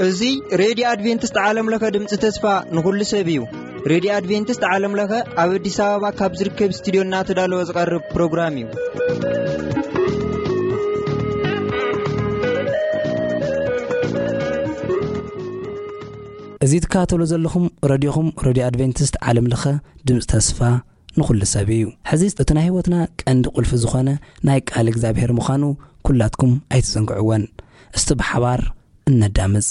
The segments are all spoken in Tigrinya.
እዚ ሬድዮ ኣድቬንቲስት ዓለም ለኸ ድምፂ ተስፋ ንኹሉ ሰብ እዩ። ሬድዮ ኣድቬንቲስት ዓለም ለኸ ኣብ ኣዲስ ኣበባ ካብ ዝርከብ ስቱዲዮ እናተዳለወ ዝቐርብ ፕሮግራም እዩ። እዚ ትከታተሉ ዘለኹም ረድዮኹም፣ ረድዮ ኣድቬንቲስት ዓለም ለኸ ድምፂ ተስፋ ንኹሉ ሰብ እዩ። ሕዚ እቲ ናይ ህይወትና ቀንዲ ቁልፊ ዝኾነ ናይ ቃል እግዚኣብሔር ምዃኑ ኩላትኩም ኣይትዘንግዕወን። እስቲ ብሓባር እነዳምፅ።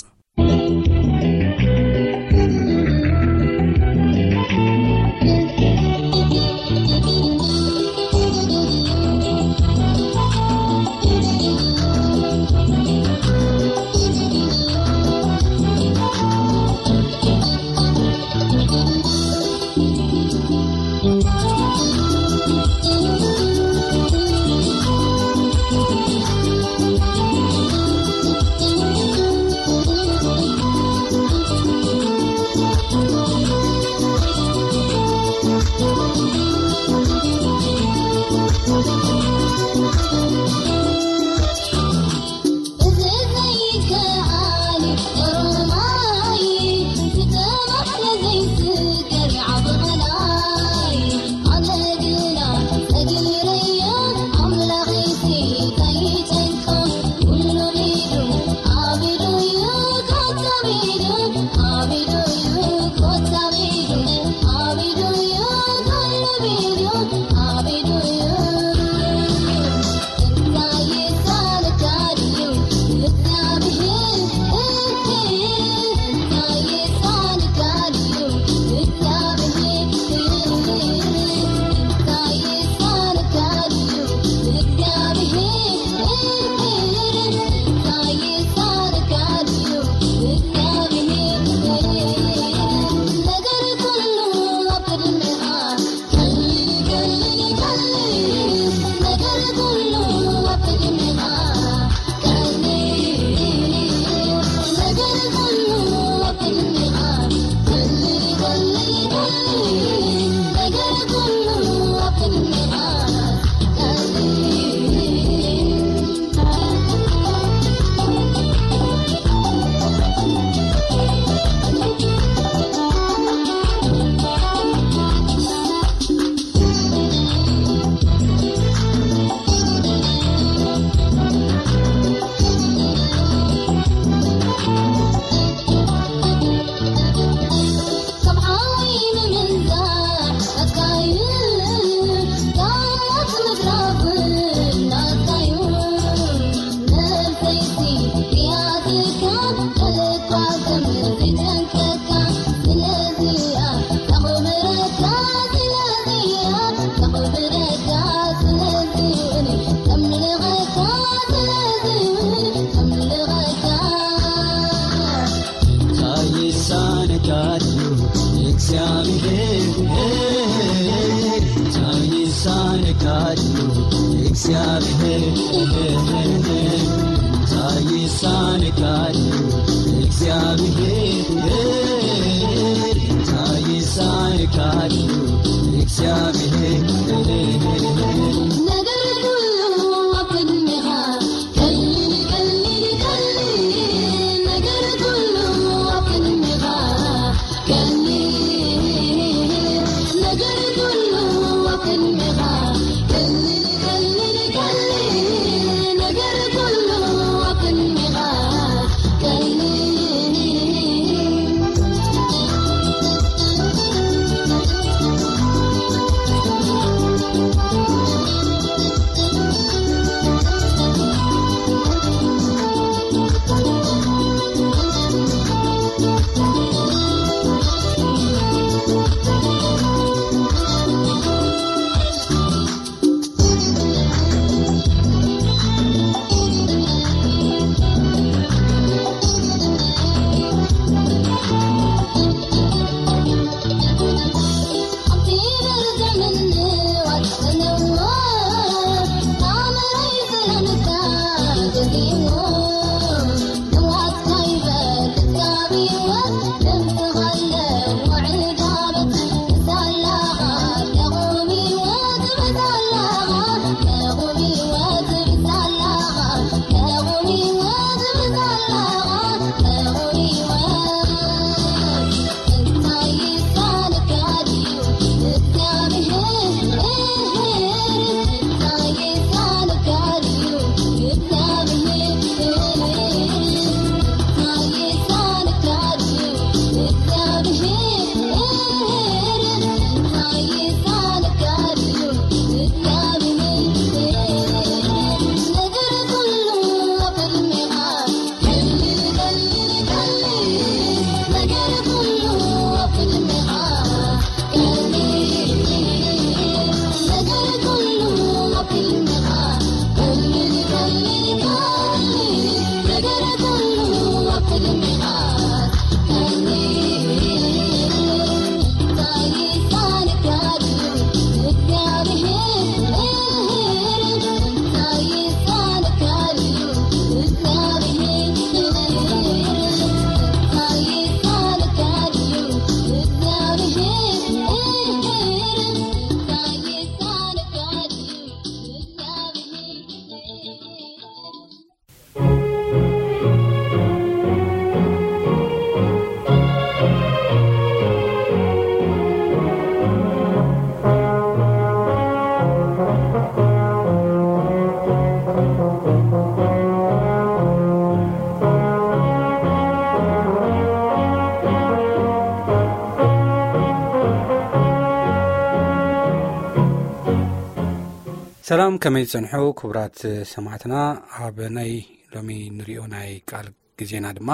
ሰላም፣ ከመይ ትጸንሑ ክቡራት ሰማዕትና? ኣብ ናይ ሎሚ ንሪኦ ናይ ቃል ግዜና ድማ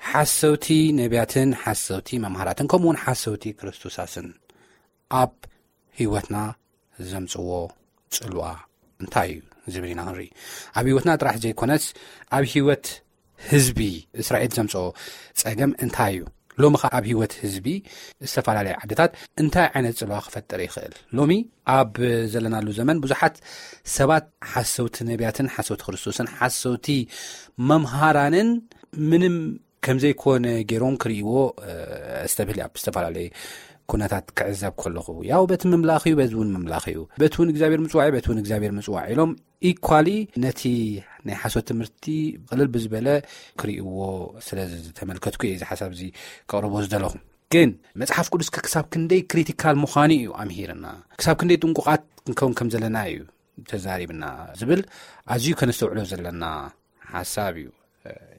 ሓሰውቲ ነቢያትን ሓሰውቲ መምሃራትን ከምኡ እውን ሓሰውቲ ክርስቶሳትን ኣብ ህይወትና ዘምጽዎ ጽልዋ እንታይ እዩ ዝብል ኢና ክንርኢ። ኣብ ህይወትና ጥራሕ ዘይኮነስ ኣብ ህይወት ህዝቢ እስራኤል ዘምጽኦ ጸገም እንታይ እዩ? ሎሚ ኸ ኣብ ህይወት ህዝቢ ዝተፈላለየ ዓድታት እንታይ ዓይነት ጽልዋ ክፈጥር ይኽእል? ሎሚ ኣብ ዘለናሉ ዘመን ብዙሓት ሰባት ሓሰውቲ ነቢያትን ሓሰውቲ ክርስቶስን ሓሰውቲ መምሃራንን ምንም ከም ዘይኮነ ገይሮም ክርእይዎ፣ እ፣ ኣስተብህል ኣብ ዝተፈላለየ ኩነታት ክዕዘብ ከለኹ፣ ያው በቲ ምምላኽ እዩ፣ በዚ እውን ምምላኽ እዩ፣ በቲ እውን እግዚኣብሔር ምጽዋዕ እዩ፣ በቲ እውን እግዚኣብሔር ምጽዋዕ ኢሎም ኢኳሊ ነቲ ናይ ሓሶት ትምህርቲ ቅልል ብዝበለ ክርእይዎ ስለ ዝተመልከትኩ እየ እዚ ሓሳብ እዚ ከቕርቦ ዝደለኹ። ግን መጽሓፍ ቅዱስ ክሳብ ክንደይ ክሪቲካል ምዃኑ እዩ ኣምሂርና። ክሳብ ክንደይ ጥንቁቓት ክንከውን ከም ዘለና እዩ ተዛሪብና ዝብል ኣዝዩ ከነስተውዕሎ ዘለና ሓሳብ እዩ።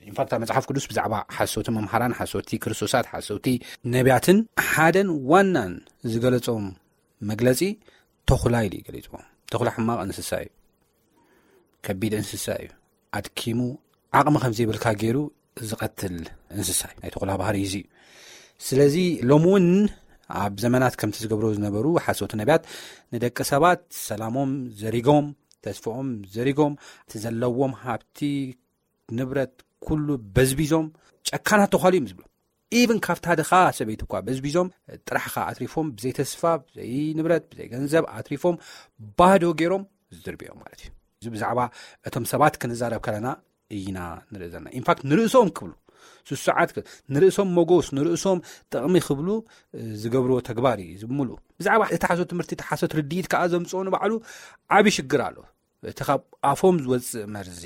ኢንፋክት፣ ኣብ መጽሓፍ ቅዱስ ብዛዕባ ሓሰውቲ መምሃራን፣ ሓሰውቲ ክርስቶሳት፣ ሓሰውቲ ነቢያትን ሓደን ዋናን ዝገለጾም መግለጺ ተኹላ ኢሉ እዩ ገሊጽዎ። ተኹላ ሕማቕ እንስሳ እዩ። ከቢድ እንስሳ እዩ። ኣድኪሙ ዓቕሚ ከም ዘይብልካ ገይሩ ዝቐትል እንስሳ እዩ። ናይ ተኹላ ባህሪ እዚ እዩ። ስለዚ ሎሚ እውን ኣብ ዘመናት ከምቲ ዝገብሮ ዝነበሩ ሓሰውቲ ነቢያት ንደቂ ሰባት ሰላሞም ዘሪጎም፣ ተስፋኦም ዘሪጎም፣ እቲ ዘለዎም ሃብቲ ንብረት ኩሉ በዝቢዞም ጨካናት ተዃሉ እዮም ዝብሉ። ኢቭን ካብታ ድኻ ሰበይቲ እኳ በዝቢዞም ጥራሕኻ ኣትሪፎም ብዘይ ተስፋ፣ ብዘይ ንብረት፣ ብዘይ ገንዘብ ኣትሪፎም ባዶ ገይሮም ዝድርብዮም ማለት እዩ። እዚ ብዛዕባ እቶም ሰባት ክንዛረብ ከለና ኢና ንርኢ ዘለና። ኢንፋክት ንርእሶም ክብሉ ስሱዓት ክ-፣ ንርእሶም መጎስ፣ ንርእሶም ጥቕሚ ክብሉ፣ እ፣ ዝገብርዎ ተግባር እዩ ዝምሉ። ብዛዕባ እቲ ሓሶት ትምህርቲ፣ እቲ ሓሶት ርድኢት ከኣ ዘምጽኦ ንባዕሉ ዓቢ ሽግር ኣሎ። እቲ ካብ ኣፎም ዝወጽእ መርዚ፣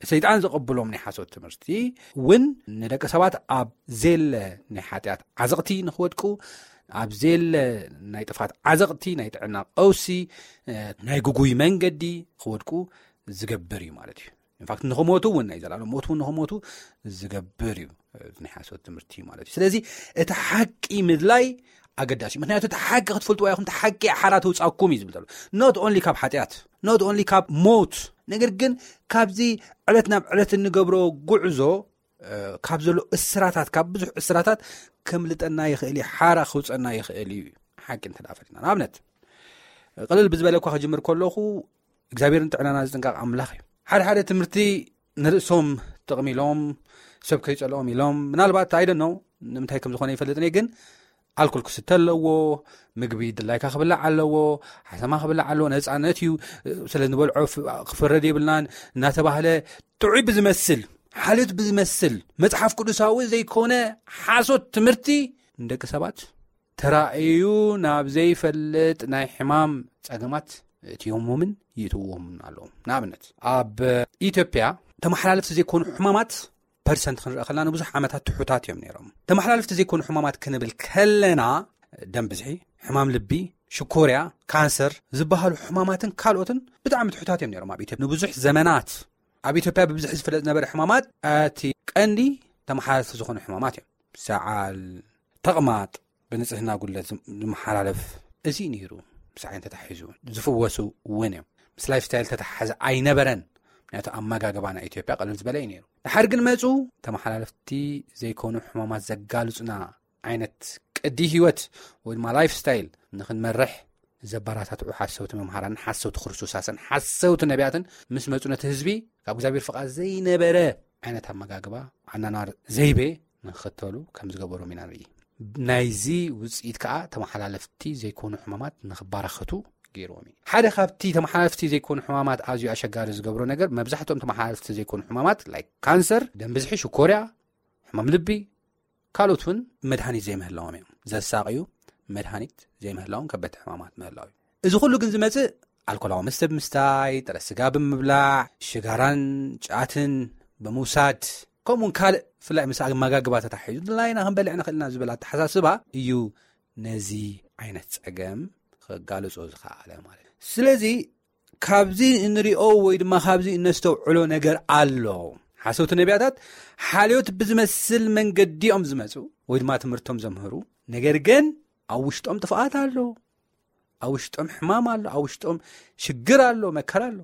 ሰይጣን ዘቐብሎም ናይ ሓሶት ትምህርቲ እውን ንደቂ ሰባት ኣብ ዘየለ ናይ ሓጢኣት ዓዘቕቲ ንኽወድቁ፣ ኣብ ዘየለ ናይ ጥፋት ዓዘቕቲ፣ ናይ ጥዕና ቀውሲ፣ እ፣ ናይ ግጉይ መንገዲ ክወድቁ ዝገብር እዩ ማለት እዩ። ኢንፋክት ንኽሞቱ እውን፣ ናይ ዘላለም ሞት እውን ንኽሞቱ ዝገብር እዩ፣ እ፣ ናይ ሓሶት ትምህርቲ ማለት እዩ። ስለዚ እቲ ሓቂ ምድላይ ኣገዳሲ እዩ። ምክንያቱ እቲ ሓቂ ክትፈልጥዎ ኢኹም፣ እቲ ሓቂ ሓራ ተውጻኩም እዩ ዝብል ዘሎ። ኖት ኦንሊ ካብ ሓጢኣት፣ ኖት ኦንሊ ካብ ሞት፣ ነገር ግን ካብዚ ዕለት ናብ ዕለት እንገብሮ ጉዕዞ፣ እ፣ ካብ ዘሎ እስራታት፣ ካብ ብዙሕ እስራታት ከምልጠና ይኽእል እዩ፣ ሓራ ክውጸና ይኽእል እዩ። ሓቂ እንተ ደኣ ፈሊጥና፣ ንኣብነት፣ ቅልል ብዝበለ እኳ ክጅምር ከለኹ፣ እግዚኣብሔር ንጥዕናና ዝጥንቀቕ ኣምላኽ እዩ። ሓደ ሓደ ትምህርቲ ንርእሶም ጥቕሚ ኢሎም፣ ሰብ ከይጸልኦም ኢሎም፣ ምናልባት፣ I don't know፣ ንምንታይ ከም ዝኾነ ይፈልጥን እየ፣ ግን ኣልኮል ክስተ ኣለዎ፣ ምግቢ ድላይካ ክብላዕ ኣለዎ፣ ሓሰማ ክብላዕ ኣለዎ፣ ነጻነት እዩ፣ ስለ ዝበልዖ ፍ-፣ ክፍረድ የብልናን እናተባህለ ጥዑይ ብዝመስል፣ ሓልዮት ብዝመስል፣ መጽሓፍ ቅዱሳዊ ዘይኮነ ሓሶት ትምህርቲ ንደቂ ሰባት ተራእዩ ናብ ዘይፈልጥ ናይ ሕማም ጸገማት እትዮሞምን ይእትዎምን ኣለዉ። ንኣብነት፣ ኣብ ኢትዮጵያ ተመሓላለፍቲ ዘይኮኑ ሕማማት ፐርሰንት ክንርኢ ከለና ንብዙሕ ዓመታት ትሑታት እዮም ነይሮም። ተመሓላለፍቲ ዘይኮኑ ሕማማት ክንብል ከለና ደም ብዝሒ፣ ሕማም ልቢ፣ ሽኮርያ፣ ካንሰር ዝበሃሉ ሕማማትን ካልኦትን ብጣዕሚ ትሑታት እዮም ነይሮም ኣብ ኢትዮጵያ ንብዙሕ ዘመናት። ኣብ ኢትዮጵያ ብብዝሒ ዝፍለጥ ዝነበረ ሕማማት እቲ ቀንዲ ተመሓላለፍቲ ዝኾኑ ሕማማት እዮም። ሰዓል፣ ተቕማጥ፣ ብንጽህና ጉድለት ዝም-፣ ዝመሓላለፍ እዚ ነይሩ። ምስ ዓይኒ ተታሒዙ ዝፍወሱ እውን እዮም። ምስ ላይፍ ስታይል ተተሓሓዘ ኣይነበረን። ምክንያቱ ኣመጋግባ ናይ ኢትዮጵያ ቅልል ዝበለ እዩ ነይሩ። ድሓር ግን መጹ፣ ተመሓላለፍቲ ዘይኮኑ ሕማማት ዘጋልጹና ዓይነት ቅዲ ህይወት ወይ ድማ ላይፍ ስታይል ንኽንመርሕ ዘበራታትዑ ሓሰውቲ መምሃራንን ሓሰውቲ ክርስቶሳትን ሓሰውቲ ነቢያትን ምስ መጹ ነቲ ህዝቢ ካብ እግዚኣብሔር ፍቓድ ዘይነበረ ዓይነት ኣመጋግባ፣ ኣናናር ዘይቤ ንኽኽተሉ ከም ዝገበሮም ኢና ንርኢ። ናይዚ ውጽኢት ከኣ ተመሓላለፍቲ ዘይኮኑ ሕማማት ንኽበራኸቱ ገይርዎም እዩ። ሓደ ካብቲ ተመሓላለፍቲ ዘይኮኑ ሕማማት ኣዝዩ ኣሸጋሪ ዝገብሮ ነገር፣ መብዛሕትኦም ተመሓላለፍቲ ዘይኮኑ ሕማማት፣ ላይክ ካንሰር፣ ደም ብዝሒ፣ ሽኮርያ፣ ሕማም ልቢ፣ ካልኦት እውን መድሃኒት ዘይምህላዎም እዮም። ዘሳቕዩ መድሃኒት ዘይምህላዎም ከበድቲ ሕማማት ምህላው እዩ። እዚ ኩሉ ግን ዝመጽእ ኣልኮላዊ መስተ ብምስታይ፣ ጥረ ስጋ ብምብላዕ፣ ሽጋራን ጫትን ብምውሳድ፣ ከምኡውን ካልእ፣ ብፍላይ ምስ ኣመጋግባ ተታሒዙ፣ ድላይና ክንበልዕ ንኽእል ኢና ዝብል ኣተሓሳስባ እዩ ነዚ ዓይነት ጸገም ከጋልጾ ዝኸኣለ ማለት እዩ። ስለዚ ካብዚ እንሪኦ ወይ ድማ ካብዚ እነስተውዕሎ ነገር ኣሎ። ሓሰውቲ ነቢያታት ሓልዮት ብዝመስል መንገዲ እዮም ዝመጹ ወይ ድማ ትምህርቶም ዘምህሩ፣ ነገር ግን ኣብ ውሽጦም ጥፍኣት ኣሎ። ኣብ ውሽጦም ሕማም ኣሎ፣ ኣብ ውሽጦም ሽግር ኣሎ፣ መከራ ኣሎ።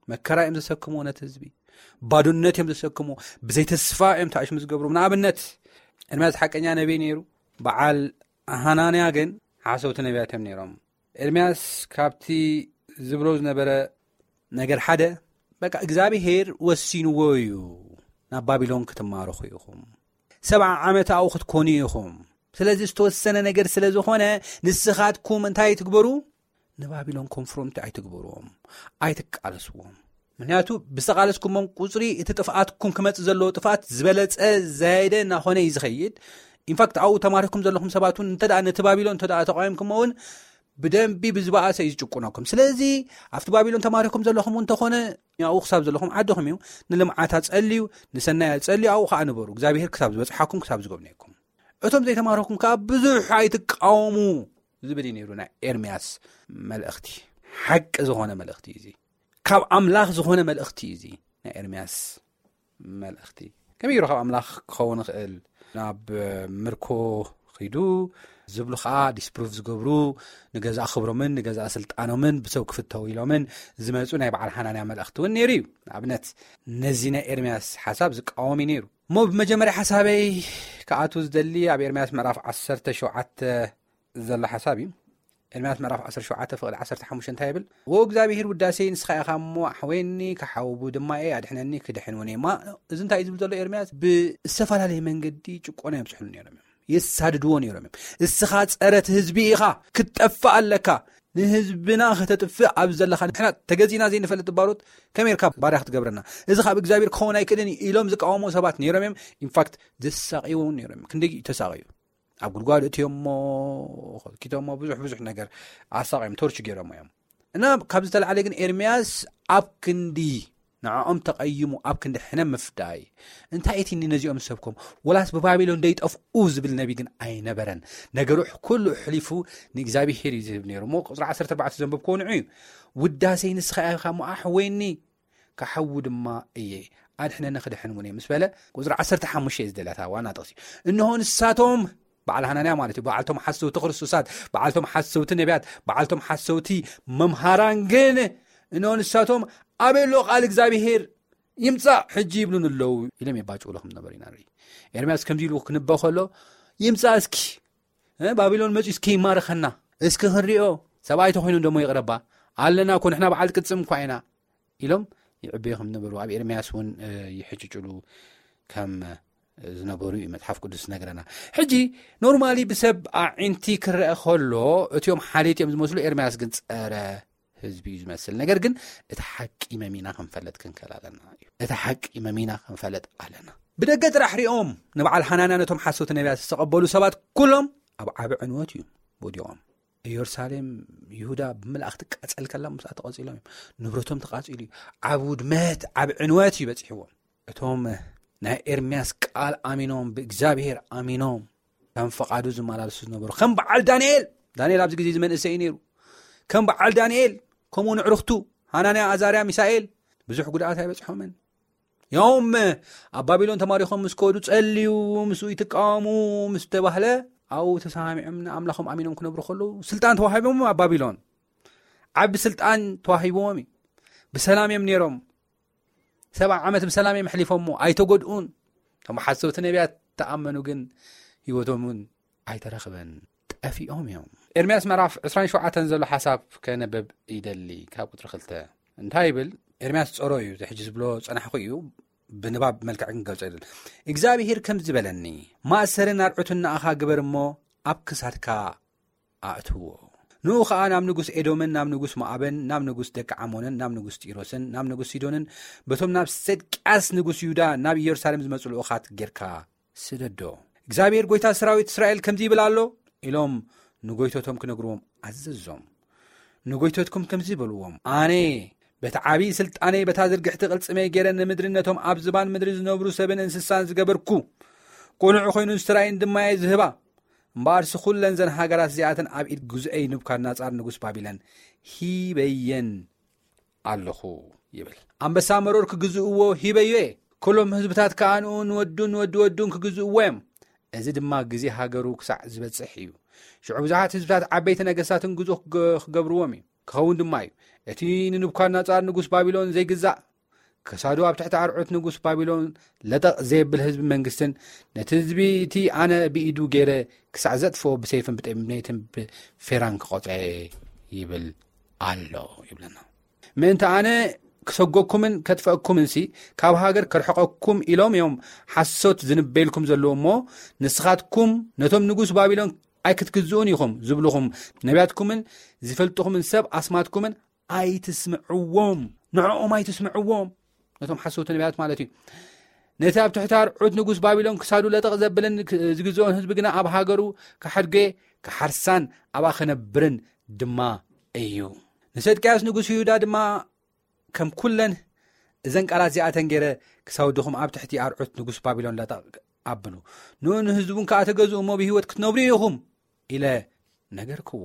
መከራ እዮም ዘሰክምዎ ነቲ ህዝቢ፣ ባዶነት እዮም ዘሰክምዎ፣ ብዘይ ተስፋ እዮም ተኣሽሙ ዝገብሩ። ንኣብነት፣ ኤርምያስ ሓቀኛ ነቢይ ነይሩ፣ በዓል ሃናንያ ግን ሓሰውቲ ነቢያት እዮም ነይሮም። ኤርምያስ ካብቲ ዝብሎ ዝነበረ ነገር ሓደ፣ በቃ እግዚኣብሄር ወሲንዎ እዩ፣ ናብ ባቢሎን ክትማረኹ ኢኹም፣ ሰብዓ ዓመት ኣብኡ ክትኮኑ ኢኹም። ስለዚ ዝተወሰነ ነገር ስለ ዝኾነ፣ ንስኻትኩም እንታይ ትግበሩ? ንባቢሎን ኮንፍሮንት ኣይትግበርዎም፣ ኣይትቃለስዎም። ምክንያቱ ብዝተቃለስኩሞም ቁፅሪ እቲ ጥፍኣትኩም ክመፅእ ዘለዎ ጥፍኣት ዝበለፀ፣ ዝያየደ እናኾነ እዩ ዝኸይድ። ኢንፋክት ኣብኡ ተማሪኩም ዘለኹም ሰባት እውን እንተ ደኣ ነቲ ባቢሎን እንተ ደኣ ተቃዊምኩሞ እውን ብደንቢ ብዝበኣሰ እዩ ዝጭቁነኩም። ስለዚ ኣብቲ ባቢሎን ተማሪኩም ዘለኹም እውን እንተኾነ ኣብኡ ክሳብ ዘለኹም ዓድኹም እዩ። ንልምዓት ኣጸልዩ፣ ንሰናይ ኣጸልዩ፣ ኣብኡ ከዓ ንበሩ፣ እግዚኣብሔር ክሳብ ዝበፅሓኩም፣ ክሳብ ዝጎብነየኩም። እቶም ዘይተማረኩም ከዓ ብዙሕ ኣይትቃወሙ ዝብል እዩ ነይሩ ናይ ኤርምያስ መልእኽቲ። ሓቂ ዝኾነ መልእኽቲ እዩ እዚ። ካብ ኣምላኽ ዝኾነ መልእኽቲ እዩ እዚ ናይ ኤርምያስ መልእኽቲ። ከመይ ገይሩ ካብ ኣምላኽ ክኸውን ይኽእል? ናብ ምርኮ ኺዱ ዝብሉ ኸዓ ዲስፕሩቭ ዝገብሩ፣ ንገዛእ ክብሮምን ንገዛእ ስልጣኖምን ብሰብ ክፍተው ኢሎምን ዝመፁ ናይ በዓል ሓናንያ መልእኽቲ እውን ነይሩ እዩ። ንኣብነት፣ ነዚ ናይ ኤርምያስ ሓሳብ ዝቃወም እዩ ነይሩ። እሞ ብመጀመርያ ሓሳበይ ክኣቱ ዝደሊ ኣብ ኤርምያስ ምዕራፍ ዓሰርተ ሸውዓተ ዘሎ ሓሳብ እዩ። ኤርምያስ ምዕራፍ ዓሰርተ ሸውዓተ ፍቕዲ ዓሰርተ ሓሙሽተ እንታይ ይብል? "ወ እግዚኣብሔር ውዳሴይ ንስኻ ኢኻ እሞ ኣሕወየኒ፣ ክሓውቡ ድማ እየ፣ ኣድሕነኒ፣ ክድሕን እውን እየ." እማ እዚ እንታይ እዩ ዝብል ዘሎ ኤርምያስ? ብዝተፈላለየ መንገዲ ጭቆና የብዝሕሉ ነይሮም እዮም፣ የሳድድዎ ነይሮም እዮም። "እስኻ ጸረ እቲ ህዝቢ ኢኻ፣ ክትጠፍእ ኣለካ፣ ንህዝብና ከተጥፍእ ኣብ ዘለኻ፣ ንሕና ተገዚእና ዘይንፈልጥ ባሮት ከመይ ኢልካ ባርያ ክትገብረና? እዚ ካብ እግዚኣብሔር ክኸውን ኣይክእልን እዩ" ኢሎም ዝቃወሙ ሰባት ነይሮም እዮም። ኢንፋክት ዘሳቕይዎ እውን ነይሮም እዮም። ክንደይ ተሳቕዩ፣ ኣብ ጉድጓድ እትዮሞ፣ ኮትኪቶሞ፣ ብዙሕ ብዙሕ ነገር ኣሳቕዮም፣ ቶርች ገይሮሞ እዮም። እና ካብ ዝተላዕለ ግን ኤርምያስ ኣብ ክንዲ ንዕኦም ተቐይሙ፣ ኣብ ክንዲ ሕነ ምፍዳይ፣ እንታይ እቲ ነዚኦም ዝሰብኮም? ወላስ ብባቢሎን ደይጠፍኡ ዝብል ነቢ ግን ኣይነበረን። ነገሩ ኩሉ ኣሕሊፉ ንእግዚኣብሄር እዩ ዝህብ ነይሩ። እሞ ቁፅሪ ዓሰርተ ኣርባዕተ ዘንበብክዎ ንዑ እዩ። "ውዳሴይ ንስኻ ኢኻ እሞ ኣሕወየኒ፣ ክሓዊ ድማ እየ፣ ኣድሕነኒ፣ ክድሕን እውን እየ" ምስ በለ፣ ቁፅሪ ዓሰርተ ሓሙሽተ እዩ ዝደልያ፣ እታ ዋና ጥቕሲ። "እንሆ ንሳቶም"፣ በዓል ሃናንያ ማለት እዩ፣ በዓልቶም ሓሰውቲ ክርስቶሳት፣ በዓልቶም ሓሰውቲ ነቢያት፣ በዓልቶም ሓሰውቲ መምሃራን ግን፣ "እንሆ ንሳቶም ኣበይ ኣሎ ቃል እግዚኣብሄር? ይምጻእ ሕጂ ይብሉን ኣለዉ" ኢሎም የባጭውሉ ከም ዝነበሩ ኢና ንርኢ። ኤርምያስ ከምዚ ኢሉ ክንበ ከሎ፣ "ይምጻእ እስኪ፣ እ፣ ባቢሎን መጺኡ እስኪ ይማርኸና፣ እስኪ ክንሪኦ፣ ሰብኣይ ተኾይኑ እንደሞ ይቕረባ፣ ኣለና እኮ፣ ንሕና በዓል ቅጽም እኳ ኢና" ኢሎም ይዕበዩ ከም ዝነበሩ ኣብ ኤርምያስ እውን፣ እ፣ ይሕጭጭሉ ከም ዝነበሩ እዩ መጽሓፍ ቅዱስ ዝነግረና። ሕጂ ኖርማሊ ብሰብ ኣዒንቲ ክረአ ከሎ፣ እቲኦም ሓልዮት እዮም ዝመስሉ፣ ኤርምያስ ግን ጸረ ህዝቢ እዩ ዝመስል። ነገር ግን እቲ ሓቂ መሚና ክንፈለጥ ክንክእል ኣለና እዩ። እቲ ሓቂ መሚና ክንፈለጥ ኣለና። ብደገ ጥራሕ ሪኦም ንበዓል ሓናንያ ነቶም ሓሰውቲ ነቢያት ዝተቐበሉ ሰባት ኩሎም ኣብ ዓቢ ዕንወት እዩ ወዲቖም። ኢየሩሳሌም፣ ይሁዳ ብምልኣኽ ትቃጸል ከላ ምስኣ ተቐጺሎም እዮም። ንብረቶም ተቓጺሉ እዩ። ኣብ ውድመት፣ ኣብ ዕንወት እዩ በጺሕዎም። እቶም ናይ ኤርምያስ ቃል ኣሚኖም፣ ብእግዚኣብሔር ኣሚኖም፣ ከም ፈቓዱ ዝመላለሱ ዝነበሩ፣ ከም በዓል ዳንኤል፣ ዳንኤል ኣብዚ ግዜ እዚ መንእሰይ እዩ ነይሩ። ከም በዓል ዳንኤል፣ ከምኡ ንዕርኽቱ፣ ሃናንያ፣ ኣዛርያ፣ ሚሳኤል፣ ብዙሕ ጉድኣት ኣይበጽሖምን። ያውም ኣብ ባቢሎን ተማሪኾም ምስ ከዱ፣ ጸልዩ፣ ምስኡ ይትቃወሙ ምስ ተባህለ፣ ኣብኡ ተሰማሚዖም ንኣምላኾም ኣሚኖም ክነብሩ ከለዉ፣ ስልጣን ተዋሂቦም ኣብ ባቢሎን። ዓቢ ስልጣን ተዋሂብዎም እዩ። ብሰላም እዮም ነይሮም። ሰብዓ ዓመት ብሰላም እዮም ኣሕሊፎሞ፣ ኣይተጎድኡን። እቶም ሓሰውቲ ነቢያት ተኣመኑ ግን፣ ህይወቶም እውን ኣይተረኽበን፣ ጠፊኦም እዮም። ኤርምያስ ምዕራፍ ዕስራን ሸውዓተን ዘሎ ሓሳብ ከነበብ ይደሊ፣ ካብ ቁጽሪ ክልተ እንታይ ይብል? ኤርምያስ ጸሮ እዩ፣ እዚ ሕጂ ዝብሎ ጸናሕኩ እዩ፣ ብንባብ መልክዕ ክንገልጾ ይደሊ። "እግዚኣብሄር ከምዚ በለኒ፣ ማእሰርን ኣርዑትን ንኣኻ ግበር እሞ ኣብ ክሳድካ ኣእትዎ። ንኡ ኸኣ ናብ ንጉስ ኤዶምን ናብ ንጉስ ሞዓብን ናብ ንጉስ ደቂ ዓሞንን ናብ ንጉስ ጢሮስን ናብ ንጉስ ሲዶንን በቶም ናብ ሰድቅያስ ንጉስ ይሁዳ ናብ ኢየሩሳሌም ዝመጹ ልኡኻት ጌርካ ስደዶ። እግዚኣብሔር ጐይታ ሰራዊት እስራኤል ከምዚ ይብል ኣሎ" ኢሎም ንጐይቶቶም ክነግርዎም ኣዘዞም። ንጐይቶትኩም ከምዚ በልዎም፣ "ኣነ በቲ ዓብዪ ስልጣነይ በታ ዝርግሕቲ ቅልጽመይ ገይረ ንምድሪ ነቶም ኣብ ዝባን ምድሪ ዝነብሩ ሰብን እንስሳን ዝገበርኩ፣ ቁኑዕ ኮይኑ ዝተራእየን ድማ እየ ዝህባ። እምበኣርሲ ኩለን ዘን ሃገራት እዚኣተን ኣብ ኢድ ግዙኤይ ንቡካድነጻር ንጉስ ባቢሎን ሂበየን ኣለኹ" ይብል። ኣንበሳ መሮር ክግዝእዎ ሂበዮ እየ፣ ኩሎም ህዝብታት ከኣ ንኡ ንወዱን ንወዲ ወዱን ክግዝእዎ እዮም። እዚ ድማ ግዜ ሃገሩ ክሳዕ ዝበጽሕ እዩ። ሽዑ ብዙሓት ህዝብታት ዓበይቲ ነገስታትን ግዙእ ክገ-፣ ክገብርዎም እዩ። ክኸውን ድማ እዩ። እቲ ንንቡካድነጻር ንጉስ ባቢሎን ዘይግዛእ፣ ክሳዱ ኣብ ትሕቲ ኣርዑት ንጉስ ባቢሎን ለጠቕ ዘየብል ህዝቢ መንግስትን፣ ነቲ ህዝቢ እቲ ኣነ ብኢዱ ገይረ ክሳዕ ዘጥፍኦ ብሰይፍን ብጥሜትን ብፌራን ክቖጽዖ ይብል ኣሎ ይብለና። ምእንቲ ኣነ ክሰጎኩምን ከጥፈእኩምን ሲ ካብ ሃገር ከርሕቐኩም ኢሎም እዮም ሓሶት ዝንበይልኩም ዘለዉ እሞ፣ ንስኻትኩም ነቶም ንጉስ ባቢሎን ኣይክትግዝኡን ኢኹም ዝብልኹም ነቢያትኩምን ዝፈልጥኹምን ሰብ ኣስማትኩምን ኣይትስምዕዎም። ንዕኦም ኣይትስምዕዎም። ነቶም ሓሰውቲ ነቢያት ማለት እዩ። ነቲ ኣብ ትሕቲ ኣርዑት ንጉስ ባቢሎን ክሳዱ ለጠቕ ዘብልን ክ-፣ ዝግዝኦን ህዝቢ ግና ኣብ ሃገሩ ክሓድጌ ክሓርሳን ኣብኣ ክነብርን ድማ እዩ። ንሰድቅያስ ንጉስ ይሁዳ ድማ ከም ኩለን እዘን ቃላት እዚኣተን ገይረ ክሳውድኹም ኣብ ትሕቲ ኣርዑት ንጉስ ባቢሎን ለጠቕ ኣብሉ። ንኡ ንህዝቡን ከኣ ተገዝኡ እሞ ብህይወት ክትነብሩ ኢኹም ኢለ ነገርክዎ።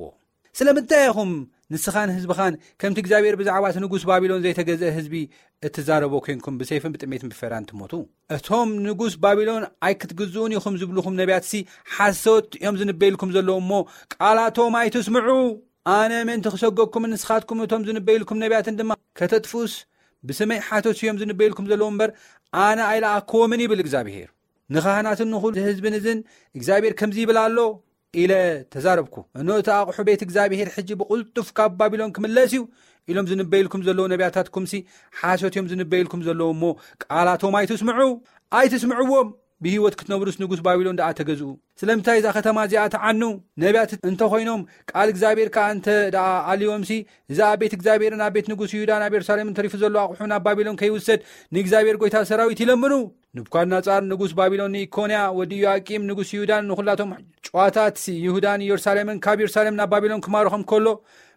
ስለምንታይ ኢኹም ንስኻን ህዝብኻን ከምቲ እግዚኣብሔር ብዛዕባ እቲ ንጉስ ባቢሎን ዘይተገዝአ ህዝቢ እትዛረቦ ኮንኩም ብሰይፍን ብጥሜትን ብፈራን ትሞቱ? እቶም ንጉስ ባቢሎን ኣይክትግዝኡን ኢኹም ዝብልኹም ነቢያትሲ ሓሶት እዮም ዝንበይልኩም ዘለዉ እሞ ቃላቶም ኣይትስምዑ። ኣነ ምእንቲ ክሰገኩምን ንስኻትኩም እቶም ዝንበይልኩም ነቢያትን ድማ ከተጥፍኡስ ብስመይ ሓሶት እዮም ዝንበይልኩም ዘለዉ እምበር ኣነ ኣይለኣክዎምን ይብል እግዚኣብሔር። ንኻህናትን ንኹሉ ህዝብን እዝን እግዚኣብሔር ከምዚ ይብል ኣሎ ኢለ ተዛረብኩ። እኖ እቲ ኣቑሑ ቤት እግዚኣብሔር ሕጂ ብቕልጡፍ ካብ ባቢሎን ክምለስ እዩ ኢሎም ዝንበይልኩም ዘለዉ ነቢያታትኩምሲ ሓሶት እዮም ዝንበይልኩም ዘለዉ እሞ ቃላቶም ኣይትስምዑ፣ ኣይትስምዕዎም። ብህይወት ክትነብሩስ ንጉስ ባቢሎን ደኣ ተገዝኡ። ስለምንታይ እዛ ከተማ እዚኣ ተዓኑ? ነቢያት እንተኾይኖም ቃል እግዚኣብሔር ከኣ እንተ ደኣ ኣልዮምሲ እዛ ኣብ ቤት እግዚኣብሔርን ኣብ ቤት ንጉስ ይሁዳን ኣብ የሩሳሌምን ተሪፉ ዘሎ ኣቑሑ ናብ ባቢሎን ከይውሰድ ንእግዚኣብሔር ጐይታ ሰራዊት ይለምኑ። ንቡካድነጻር ንጉስ ባቢሎን ንኢኮንያ ወዲ ኢዮኣቂም ንጉስ ይሁዳን ንኹላቶም ጨዋታት ይሁዳን ኢየሩሳሌምን ካብ ኢየሩሳሌም ናብ ባቢሎን ክማርኾም ከሎ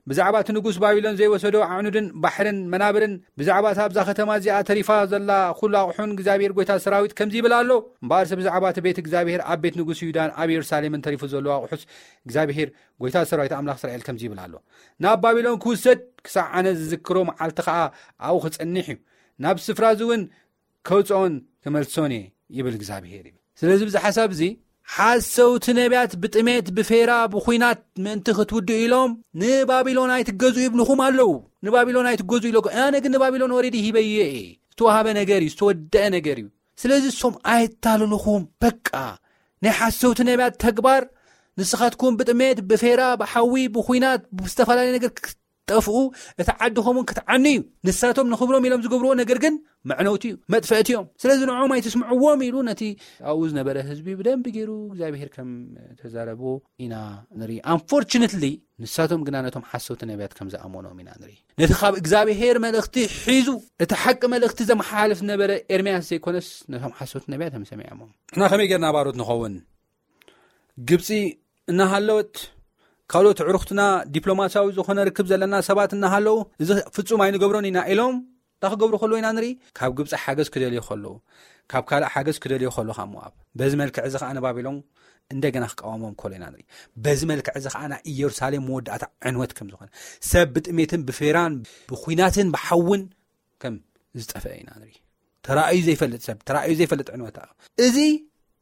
ብዛዕባ እቲ ንጉስ ባቢሎን ዘይወሰዶ ኣዕኑድን ባሕርን መናብርን ብዛዕባ እታ ኣብዛ ከተማ እዚኣ ተሪፋ ዘላ ኩሉ ኣቑሑን እግዚኣብሔር ጐይታ ሰራዊት ከምዚ ይብል ኣሎ። እምበኣርሲ ብዛዕባ እቲ ቤት እግዚኣብሔር ኣብ ቤት ንጉስ ይሁዳን ኣብ ኢየሩሳሌምን ተሪፉ ዘሎ ኣቑሑስ እግዚኣብሔር ጐይታ ሰራዊት ኣምላኽ እስራኤል ከምዚ ይብል ኣሎ። ናብ ባቢሎን ክውሰድ ክሳዕ ኣነ ዝዝክሮ መዓልቲ ኸኣ ኣብኡ ክጸንሕ እዩ። ናብ ስፍራ እዚ እውን ከውፅኦን ክመልሶን እየ ይብል እግዚኣብሄር እዩ። ስለዚ ብዚ ሓሳብ እዚ ሓሰውቲ ነቢያት ብጥሜት ብፌራ ብኹናት ምእንቲ ክትውድኡ ኢሎም ንባቢሎን ኣይትገዙ ይብልኹም ኣለዉ። ንባቢሎን ኣይትገዙ ኢሎ ኣነ ግን ንባቢሎን ወሬዲ ሂበየ እየ። ዝተዋሃበ ነገር እዩ፣ ዝተወደአ ነገር እዩ። ስለዚ እሶም ኣይታልልኹም። በቃ ናይ ሓሰውቲ ነቢያት ተግባር ንስኻትኩም ብጥሜት ብፌራ ብሓዊ ብኹናት ብዝተፈላለየ ነገር ጠፍኡ፣ እቲ ዓድኹም እውን ክትዓኑ እዩ። ንሳቶም ንኽብሮም ኢሎም ዝገብርዎ ነገር ግን መዕነውቲ እዩ፣ መጥፈእቲ እዮም። ስለዚ ንዕኦም ኣይትስምዕዎም ኢሉ ነቲ ኣብኡ ዝነበረ ህዝቢ ብደንቢ ገይሩ እግዚኣብሄር ከም ተዛረብዎ ኢና ንርኢ። ኣንፎርችነትሊ ንሳቶም ግና ነቶም ሓሰውቲ ነቢያት ከም ዝኣመኖም ኢና ንርኢ። ነቲ ካብ እግዚኣብሄር መልእኽቲ ሒዙ እቲ ሓቂ መልእኽቲ ዘመሓላልፍ ዝነበረ ኤርምያስ ዘይኮነስ ነቶም ሓሰውቲ ነቢያት እዮም ሰሚዖሞም። ንሕና ከመይ ጌርና ባሮት ንኸውን? ግብፂ እናሃለወት ካልኦት ዕሩኽትና ዲፕሎማሲያዊ ዝኾነ ርክብ ዘለና ሰባት እናሃለዉ እዚ ፍጹም ኣይንገብሮን ኢና ኢሎም እንታይ ክገብሩ ከለዉ ኢና ንርኢ? ካብ ግብፂ ሓገዝ ክደልዩ ከለዉ፣ ካብ ካልእ ሓገዝ ክደልዩ ከለዉ ካብ ሞኣብ በዚ መልክዕ እዚ ከዓ ንባቢሎን እንደገና ክቃወሞም ከሎ ኢና ንርኢ። በዚ መልክዕ እዚ ከዓ ናይ ኢየሩሳሌም መወዳእታ ዕንወት ከም ዝኾነ ሰብ ብጥሜትን ብፌራን ብኩናትን ብሓውን ከም ዝጠፍአ ኢና ንርኢ። ተራእዩ ዘይፈልጥ ሰብ፣ ተራእዩ ዘይፈልጥ ዕንወት። እዚ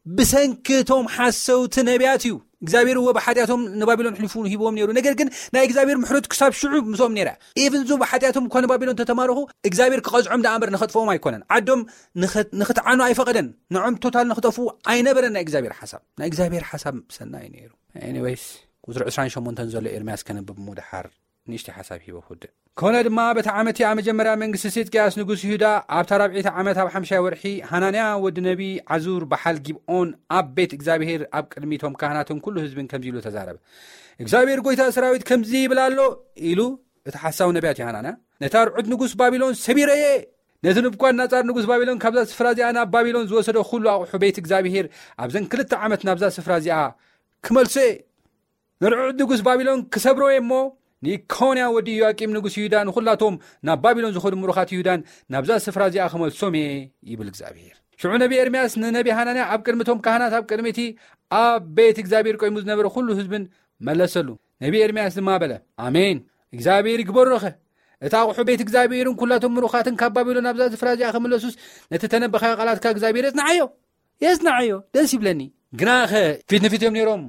ብሰንኪ እቶም ሓሰውቲ ነቢያት እዩ። እግዚኣብሔር እወ ብሓጢኣቶም ንባቢሎን ሕሊፉ ሂብዎም ነይሩ። ነገር ግን ናይ እግዚኣብሔር ምሕረት ክሳብ ሽዑ ምስኦም ነይራ። ኢቭን ዞ ብሓጢኣቶም እኳ ንባቢሎን ተተማረኹ እግዚኣብሔር ክቐዝዖም ደኣ እምበር ንኸጥፍኦም ኣይኮነን። ዓዶም ንኸ-፣ ንኽትዓኑ ኣይፈቐደን። ንዖም ቶታል ንኽጠፍኡ ኣይነበረን ናይ እግዚኣብሔር ሓሳብ። ናይ እግዚኣብሔር ሓሳብ ሰናይ ነይሩ። ኤኒዌይስ ቁፅሪ ዕስራን ሸሞንተን ዘሎ ኤርምያስ ከነብብ እሞ ደሓር ንእሽተይ ሓሳብ ሂበ ክውድእ። ኮነ ድማ በቲ ዓመት እቲኣ መጀመርያ መንግስቲ ሴድቅያስ ንጉስ ይሁዳ ኣብታ ራብዒይቲ ዓመት ኣብ ሓምሻይ ወርሒ ሃናንያ ወዲ ነቢ ዓዙር በሓል ጊብኦን ኣብ ቤት እግዚኣብሄር ኣብ ቅድሚቶም ካህናትን ኩሉ ህዝብን ከምዚ ኢሉ ተዛረበ። እግዚኣብሄር ጎይታ ሰራዊት ከምዚ ይብል ኣሎ ኢሉ እቲ ሓሳዊ ነቢያት እዩ ሃናንያ ነታ ርዑት ንጉስ ባቢሎን ሰቢረየ ነቲ ንቡኳድነጻር ንጉስ ባቢሎን ካብዛ ስፍራ እዚኣ ናብ ባቢሎን ዝወሰዶ ኩሉ ኣቑሑ ቤት እግዚኣብሄር ኣብዘን ክልተ ዓመት ናብዛ ስፍራ እዚኣ ክመልሶ እየ። ንርዑት ንጉስ ባቢሎን ክሰብሮ እየ እሞ ንኢኮንያ ወዲ ኢዮኣቂም ንጉስ ይሁዳ ንኹላቶም ናብ ባቢሎን ዝኸዱ ምሩኻት ይሁዳን ናብዛ ስፍራ እዚኣ ክመልሶም እየ ይብል እግዚኣብሄር። ሽዑ ነቢ ኤርምያስ ንነቢ ሃናንያ ኣብ ቅድሚ እቶም ካህናት ኣብ ቅድሚ እቲ ኣብ ቤት እግዚኣብሔር ቆይሙ ዝነበረ ኩሉ ህዝብን መለሰሉ። ነቢ ኤርምያስ ድማ በለ፣ ኣሜን እግዚኣብሔር ይግበሮኸ። እቲ ኣቑሑ ቤት እግዚኣብሔርን ኩላቶም ምሩኻትን ካብ ባቢሎን ናብዛ ስፍራ እዚኣ ክምለሱስ ነቲ ተነበኻዮ ቃላትካ እግዚኣብሔር የጽንዓዮ። የጽንዓዮ ደስ ይብለኒ። ግናኸ ፊት ንፊት እዮም ነይሮም።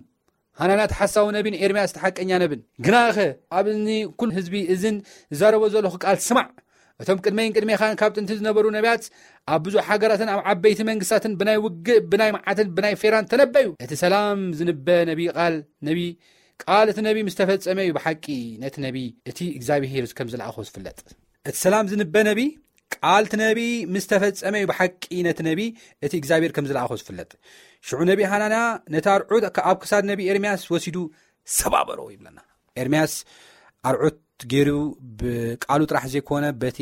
ኣናንያ እቲ ሓሳዊ ነቢን ኤርምያስ እቲ ሓቀኛ ነብን። ግናኸ ኣብ እዝኒ ኩሉ ህዝቢ እዝን ዝዛረቦ ዘለኹ ቃል ስማዕ። እቶም ቅድመይን ቅድሜኻን ካብ ጥንቲ ዝነበሩ ነቢያት ኣብ ብዙሕ ሃገራትን ኣብ ዓበይቲ መንግስታትን ብናይ ውግእ፣ ብናይ መዓትን ብናይ ፌራን ተነበዩ። እቲ ሰላም ዝንበ ነቢ ቃል ነቢ ቃል እቲ ነቢ ምስ ተፈጸመ እዩ ብሓቂ ነቲ ነቢ እቲ እግዚኣብሄር ከም ዝለኣኾ ዝፍለጥ። እቲ ሰላም ዝንበ ነቢ ቃል እቲ ነቢ ምስ ተፈጸመ እዩ ብሓቂ ነቲ ነቢ እቲ እግዚኣብሄር ከም ዝለኣኾ ዝፍለጥ። ሽዑ ነቢ ሃናንያ ነቲ ኣርዑት ኣብ ክሳድ ነቢ ኤርምያስ ወሲዱ ሰባበሮ ይብለና። ኤርምያስ ኣርዑት ገይሩ ብቃሉ ጥራሕ ዘይኮነ በቲ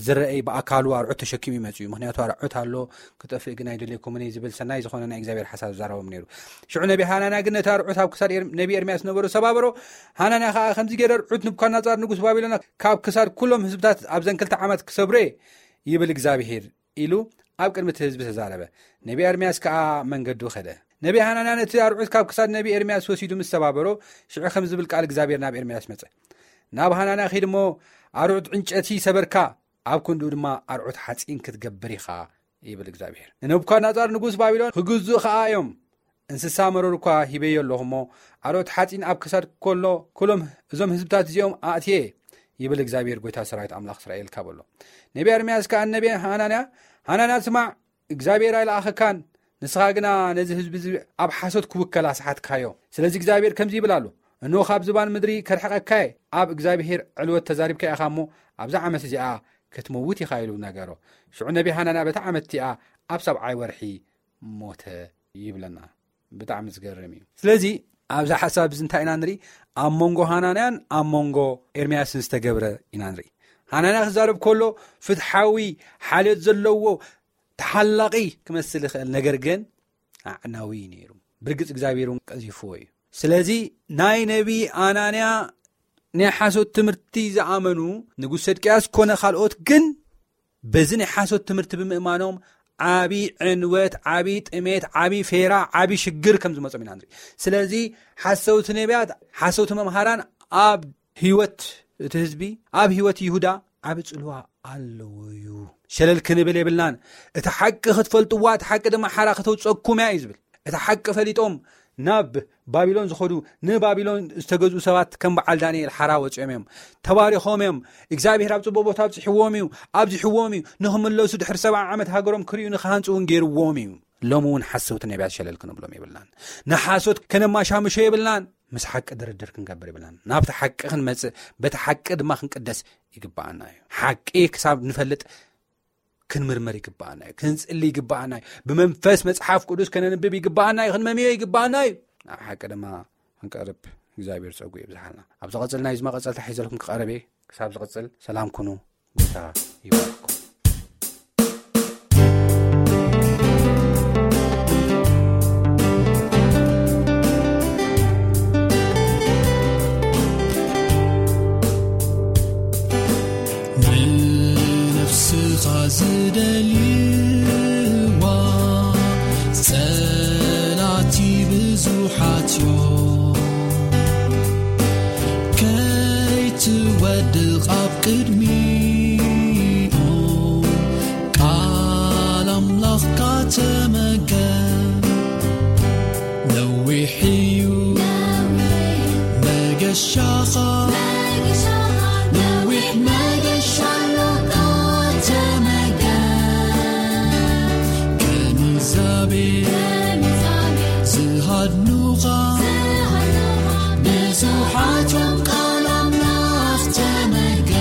ዝረአይ ብኣካሉ ኣርዑት ተሸኪሙ ይመጽእ እዩ። ምክንያቱ ኣርዑት ኣሎ፣ ክጠፍእ ግን ኣይደለይኩምን እየ ዝብል ሰናይ ዝኾነ ናይ እግዚኣብሔር ሓሳብ ዝዛረቦም ነይሩ። ሽዑ ነቢ ሃናንያ ግን ነቲ ኣርዑት ኣብ ክሳድ ኤር-፣ ነቢ ኤርምያስ ነበሩ ሰባበሮ። ሃናንያ ከኣ ከምዚ ገይረ ኣርዑት ንቡካድነጻር ንጉስ ባቢሎን ካብ ክሳድ ኩሎም ህዝብታት ኣብዘን ክልተ ዓመት ክሰብሮ እየ ይብል እግዚኣብሔር ኢሉ ኣብ ቅድሚ እቲ ህዝቢ ተዛረበ። ነቢ ኤርምያስ ከኣ መንገዱ ከደ። ነቢ ሃናንያ ነቲ ኣርዑት ካብ ክሳድ ነቢ ኤርምያስ ወሲዱ ምስ ሰባበሮ፣ ሽዑ ከም ዝብል ቃል እግዚኣብሔር ናብ ኤርምያስ መጸ። ናብ ሃናንያ ኺድ እሞ ኣርዑት ዕንጨቲ ሰበርካ፣ ኣብ ክንድኡ ድማ ኣርዑት ሓጺን ክትገብር ኢኻ ይብል እግዚኣብሔር። ንነቡካድነጻር ንጉስ ባቢሎን ክግዝኡ ኸኣ እዮም። እንስሳ መረር እኳ ሂበዮ ኣለኹ እሞ፣ ኣርዑት ሓጺን ኣብ ክሳድ ከሎ፣ ኩሎም እዞም ህዝብታት እዚኦም ኣእትየ ይብል እግዚኣብሔር ጐይታ ሰራዊት ኣምላኽ እስራኤል ካብ ኣሎ። ነቢ ኤርምያስ ከኣ ነቢ ሃናንያ፣ ሃናንያ ስማዕ፣ እግዚኣብሔር ኣይለኣኸካን፣ ንስኻ ግና ነዚ ህዝቢ እዚ ኣብ ሓሶት ክውከል ኣስሓትካዮ። ስለዚ እግዚኣብሔር ከምዚ ይብል ኣሎ፣ እንሆ ካብ ዝባን ምድሪ ከርሕቐካ እየ፣ ኣብ እግዚኣብሔር ዕልወት ተዛሪብካ ኢኻ እሞ፣ ኣብዛ ዓመት እዚኣ ክትመውት ኢኻ ኢሉ ነገሮ። ሽዑ ነቢ ሃናንያ በታ ዓመት እቲኣ ኣብ ሰብዓይ ወርሒ ሞተ ይብለና። ብጣዕሚ ዝገርም እዩ። ስለዚ ኣብዛ ሓሳብ እዚ እንታይ ኢና ንርኢ? ኣብ መንጎ ሃናንያን ኣብ መንጎ ኤርምያስን ዝተገብረ ኢና ንርኢ። ሃናንያ ክዛረብ ከሎ ፍትሓዊ፣ ሓልዮት ዘለዎ፣ ተሓላቒ ክመስል ይኽእል፣ ነገር ግን ኣዕናዊ እዩ ነይሩ። ብርግጽ እግዚኣብሔር እውን ቀዚፍዎ እዩ። ስለዚ ናይ ነቢ ኣናንያ ናይ ሓሶት ትምህርቲ ዝኣመኑ ንጉስ ሰድቅያስ ኮነ ካልኦት ግን በዚ ናይ ሓሶት ትምህርቲ ብምእማኖም ዓቢ ዕንወት፣ ዓቢ ጥሜት፣ ዓቢ ፌራ፣ ዓቢ ሽግር ከም ዝመጾም ኢና ንርኢ። ስለዚ ሓሰውቲ ነቢያት፣ ሓሰውቲ መምሃራን ኣብ ህይወት እቲ ህዝቢ፣ ኣብ ህይወት ይሁዳ ዓቢ ጽልዋ ኣለዎ እዩ። ሸለል ክንብል የብልናን። እቲ ሓቂ ክትፈልጥዋ፣ እቲ ሓቂ ድማ ሓራ ከተውጸኩም እያ እዩ ዝብል። እቲ ሓቂ ፈሊጦም ናብ ባቢሎን ዝኸዱ፣ ንባቢሎን ዝተገዝኡ ሰባት ከም በዓል ዳንኤል ሓራ ወጺኦም እዮም። ተባሪኾም እዮም። እግዚኣብሔር ኣብ ጽቡቕ ቦታ ኣብጽሕዎም እዩ፣ ኣብዚሕዎም እዩ። ንኽምለሱ ድሕሪ ሰብዓ ዓመት ሃገሮም ክርእዩ ንኽሃንጹ እውን ገይርዎም እዩ። ሎሚ እውን ሓሰውቲ ነቢያት ሸለል ክንብሎም የብልናን። ንሓሶት ከነማሻምሾ የብልናን። ምስ ሓቂ ድርድር ክንገብር የብልናን። ናብቲ ሓቂ ክንመጽእ፣ በቲ ሓቂ ድማ ክንቅደስ ይግብኣና እዩ። ሓቂ ክሳብ ንፈልጥ ክንምርመር ይግብኣና እዩ። ክንጽሊ ይግብኣና እዩ። ብመንፈስ መጽሓፍ ቅዱስ ከነንብብ ይግብኣና እዩ። ክንመምዮ ይግብኣና እዩ። ኣብ ሓቂ ድማ ክንቀርብ እግዚኣብሔር ጸጉ የብዝሓልና። ኣብ ዝቐጽል ናይ እዚ መቐጸልታ ሒዘልኩም ክቐርብ እየ። ክሳብ ዝቐጽል ሰላም ኩኑ። ጌታ ይባርኩም። ንነፍስኻ ዝደልይዋ ጸላእቲ ብዙሓት እዮም። ከይትወድቕ ኣብ ቅድሚኦም ቃል ኣምላኽካ ተመገብ። ነዊሕ እዩ መገሻኻ፣ ነዊሕ መገሻ ኣሎካ ተመገብ። ከም እግዚኣብሔር ዝሃድኑኻ ብዙሓት እዮም፣ ቃል ኣምላኽ ተመገብ።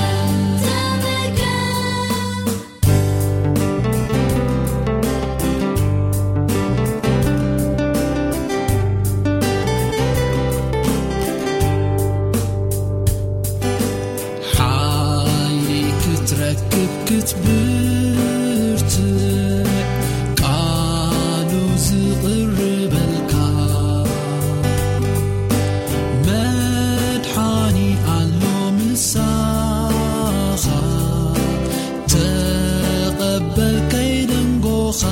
ሓይሊ ክትረክብ ክትብርትዕ ቃሉ ዝቕርበልካ መድሓኒ ኣሎ ምሳኻ። ተቐበል ከይደንጎኻ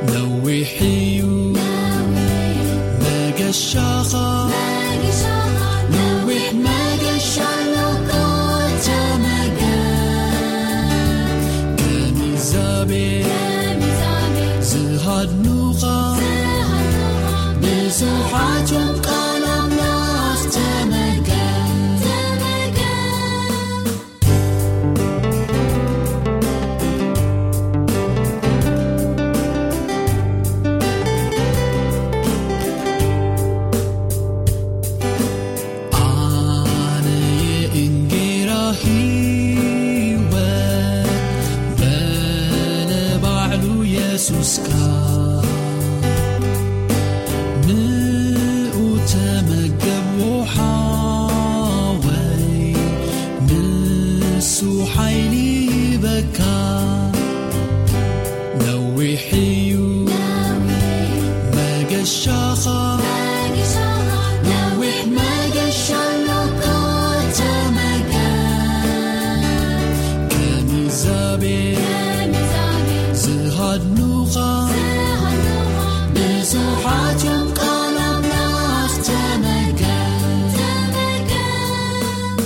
ነዊሕ እዩ መገሻኻ። ነዊሕ መገሻ ኣሎካ ተመገብ። ከም ብዙሓት እዮም ቃል ኣምላኽ ተመገብ፣ ተመገብ። ኣነ የእንጌራ ህይወት በለ ባዕሉ የሱስካ። ንኡ ተመገብ ሓወይ፣ ንሱ ሓይሊ ይበካ። ነዊሕ እዩ መገሻኻ፣ ነዊሕ መገሻ ኣሎካ ተመገብ። ከም ኢዛቤል ዝሃድኑኻ ብዙሓት እዮም፣ ቃል ኣምላኽ ተመገብ፣ ተመገብ።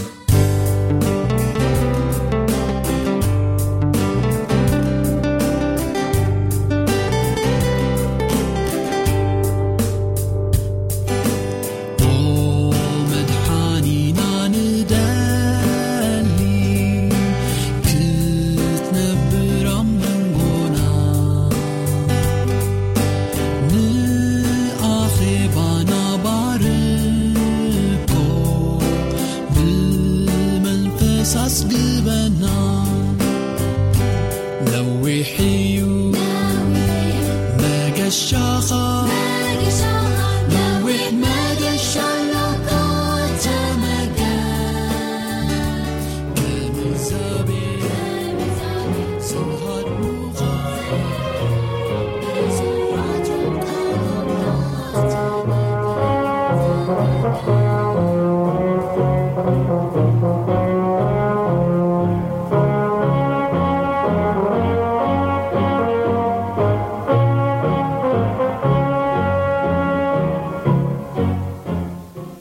ኦ መድሓኒና ንደሊ ክትነብር ኣብ መንጎና፣ ንኣኼባና ባርኮ ብመንፈስ ኣጽግበና። ነዊሕ እዩ መገሻኻ፣ ነዊሕ መገሻ ኣሎካ ተመገብ። ከም ኢዛቤል ዝሃድኑኻ ብዙሓት እዮም፣ ቃል ኣምላኽ ተመገብ።